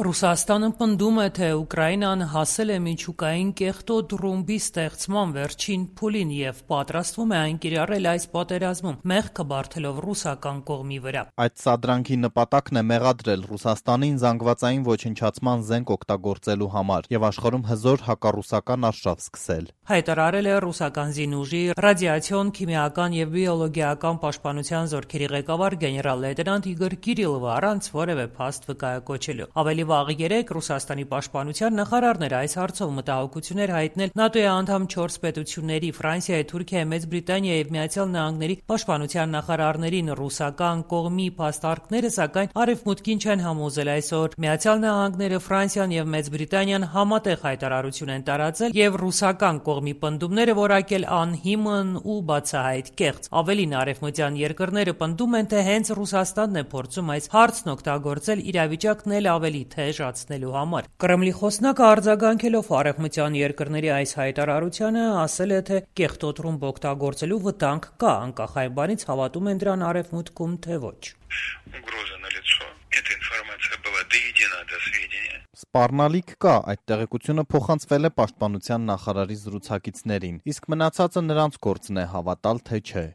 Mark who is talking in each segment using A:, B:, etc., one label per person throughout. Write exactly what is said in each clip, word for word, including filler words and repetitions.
A: Ռուսաստանը պնդում է, թե Ուկրաինան հասել է միջուկային կեղտոտ ռումբի ստեղծման վերջին փուլին և պատրաստվում է այն կիրառել այս պատերազմում, մեղքը բարդելով ռուսական կողմի վրա։
B: Այդ սադրանքի նպատակն է մեղադրել Ռուսաստանին զանգվածային ոչնչացման զենք օգտագործելու համար և աշխարհում հզոր հակառուսական արշավ սկսել։
A: Հայտարարել է ռուսական զինուժի ռադիացիոն, քիմիական և բիոլոգիական պաշտպանության զորքերի ղեկավար գեներալ-լեյտենանտ Իգոր Կիրիլովը առանց որևէ փաստ վկայակոչելու։ Ավելի վաղ երեկ Ռուսաստանի պաշտպանության նախարարն էր այս հարցով մտահոգություններ հայտնել ՆԱՏՕ-ի անդամ չորս պետությունների՝ Ֆրանսիայի, Թուրքիայի, Մեծ Բրիտանիայի և Միացյալ Նահանգների պաշտպանության նախարարներին։ Ռուսական կողմի փաստարկները, սակայն, Արևմուտքին չեն համոզել այսօր։ Միացյալ Նահանգները, Ֆրանսիան և Մեծ Բրիտանիան համատեղ հայտարարություն են տարածել և ռուսական կողմի պնդումները որակել անհիմն ու բացահայտ կեղծ։ Ավելին, արևմտյան երկրները պնդում են, թե հենց Ռուսաստանն է փորձում այս հարցն օգտագործել իրավիճակն էլ ավելի թեժացնելու համար։ Կրեմլի խոսնակը արձագանքելով արևմտյան երկրների այս հայտարարությանը ասել է, թե կեղտոտ ռումբ օգտագործելու վտանգ կա, անկախ այն բանից հավատում են դրան Արևմուտքում, թե ոչ։
B: Սպառնալիք կա, այդ տեղեկությունը փոխանցվել է պաշտպանության նախարարի զրուցակիցներին, իսկ մնացածը նրանց գործն է հավատալ, թե չէ։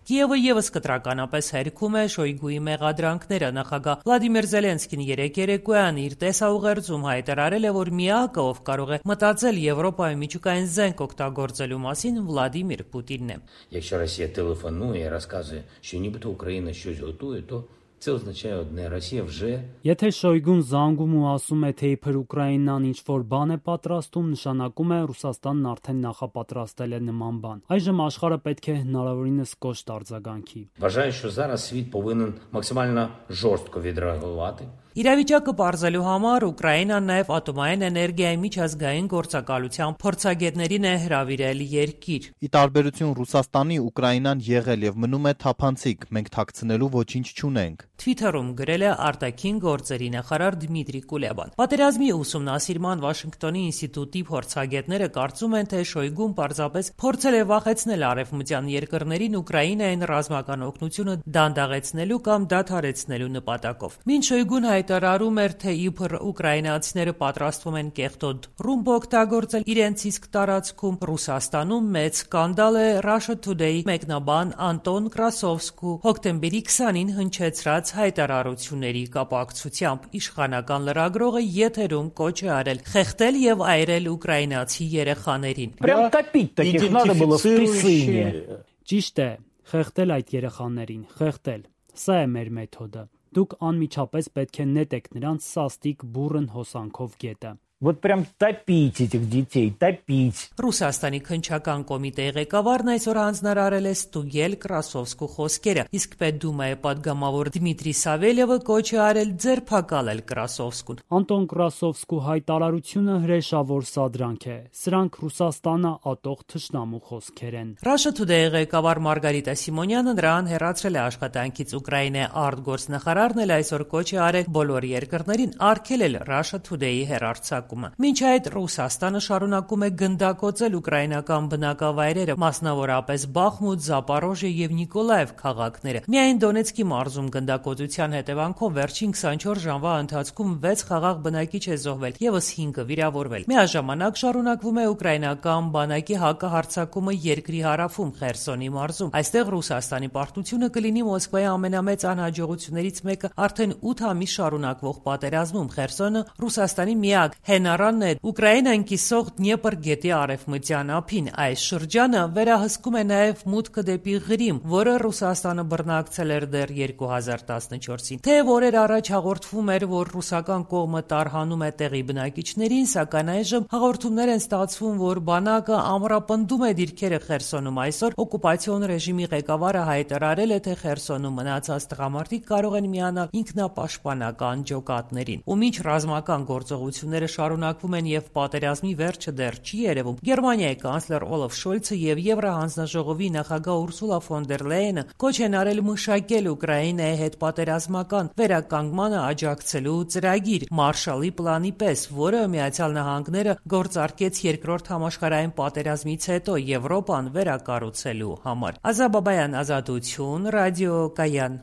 A: Կիևը ևս կտրականապես հերքում է Շոյգուի մեղադրանքները։ Նախագահ Վլադիմիր Զելենսկին երեկ երեկոյան իր տեսաուղերձում հայտարարել է, որ միակը, ով կարող է մտածել Եվրոպայում միջուկային զենք օգտագործելու մասին, Վլադիմիր Պուտինն է։
C: Якщо Росія телефонує і розказує, що нібито Україна щось готує, то це означає одне: Росія вже…
D: Եթե Շոյգուն զանգում ու ասում է, թե իբր Ուկրաինան ինչ-որ բան է պատրաստում, նշանակում է Ռուսաստանն արդեն նախապատրաստել է նման բան։ Այժմ աշխարհը պետք է հնարավորինս կոշտ արձագանքի։
C: Вважаю, що зараз світ повинен максимально жорстко відреагувати.
A: Իրավիճակը պարզելու համար Ուկրաինան նաև ատոմային էներգիայի միջազգային գործակալության փորձագետներին է հրավիրել երկիր։
B: Ի տարբերություն Ռուսաստանի, Ուկրաինան եղել և մնում է թափանցիկ, մենք թաքցնելու ոչինչ չունենք։
A: Թվիթերում գրել է արտաքին գործերի նախարար Դմիտրի Կուլեբան։ Պատերազմի ուսումնասիրման Վաշինգտոնի ինստիտուտի փորձագետները կարծում են, թե Շոյգուն պարզապես փորձել է վախեցնել արևմտյան երկրներին Ուկրաինային ռազմական օգնությունը դանդաղեցնելու կամ դադարեցնելու նպատակով։ Մինչ Շոյգուն հայտարարում էր, թե իբր ուկրաինացիները պատրաստվում են կեղտոտ ռումբ օգտագործել իրենց իսկ տարածքում, Ռուսաստանում մեծ սկանդալ է Russia Today մեկնաբան Անտոն Կրասովսկու հոկտեմբերի քսանին հնչեցրած հայտարարությունների կապակցությամբ։ Իշխանական լրագրողը եթերում կոչ է արել խեղդել և այրել ուկրաինացի երեխաներին։
D: Ճիշտ է, խեղդել այդ երեխաներին, խեղդել։ Սա է մեր մեթոդը։ Դուք անմիջապես պետք է նետեք նրանց սաստիկ բուռն հոսանքով գետը։
E: Вот прям топить этих детей, топить.
A: Ռուսաստանի քննչական կոմիտեի ղեկավարն այսօր հանձնարարել է ստուգել Կրասովսկու խոսքերը, իսկ Պետդումայի պատգամավոր Դմիտրի Սավելյևը կոչ է արել ձերբակալել Կրասովսկուն։
D: Անտոն Կրասովսկու հայտարարությունը հրեշավոր սադրանք է։ Սրանք Ռուսաստանը ատող թշնամու խոսքեր են։
A: Russia Today-ի ղեկավար Մարգարիտա Սիմոնյանը նրան հեռացրել է աշխատանքից։ Ուկրաինայի արտգործնախարարն էլ այսօր կոչ է արել բոլոր երկրներին արգելել Russia Today-ի հեռարձակումը։ Մինչ այդ Ռուսաստանը շարունակում է գնդակոծել ուկրաինական բնակավայրերը, մասնավորապես Բախմուտ, Զապորոժիե և Նիկոլաև քաղաքները։ Միայն Դոնեցկի մարզում գնդակոծության հետևանքով վերջին քսանչորս ժամվա ընթացքում վեց խաղաղ բնակիչ է զոհվել, ևս հինգը վիրավորվել։ Միաժամանակ շարունակվում է ուկրաինական բանակի հակահարձակումը երկրի հարավում Խերսոնի մարզում։ Այստեղ Ռուսաստանի պարտությունը կլինի Մոսկվայի ամենամեծ անհաջողություններից մեկը արդեն ութ ամիս շարունակվող պատերազմում։ Խերսոնը Ռուսաստանի միակ հենարանն է Ուկրաինան կիսող Դնեպր գետի արևմտյան ափին։ Այս շրջանը վերահսկում է նաև մուտքը դեպի Ղրիմ, որը Ռուսաստանը բռնակցել էր դեռ երկու հազար տասնչորսին։ Թեև օրեր առաջ հաղորդվում էր, որ ռուսական կողմը տարհանում է տեղի բնակիչներին, սակայն այժմ հաղորդումներ են ստացվում, որ բանակը ամրապնդում է դիրքերը Խերսոնում։ Այսօր օկուպացիոն ռեժիմի ղեկավարը հայտարարել է, թե Խերսոնում մնացած տղամարդիկ կարող են միանալ ինքնապաշտպանական ջոկատներին։ Ու մինչ ռազմական գործողությունները շարունակվում են և պատերազմի վերջը դեռ չի երևում, Գերմանիայի կանցլեր Օլաֆ Շոլցը և Եվրահանձնաժողովի նախագահ Ուրսուլա ֆոն դեր Լեյենը կոչ են արել մշակել Ուկրաինայի հետ պատերազմական վերականգմանը աջակցելու ծրագիր Մարշալի պլանի պես, որը Միացյալ Նահանգները գործարկեց երկրորդ համաշխարհային պատերազմից հետո Եվրոպան վերակառուցելու համար։ Ազա Բաբայան, Ազատություն, Ռադիո Կայան։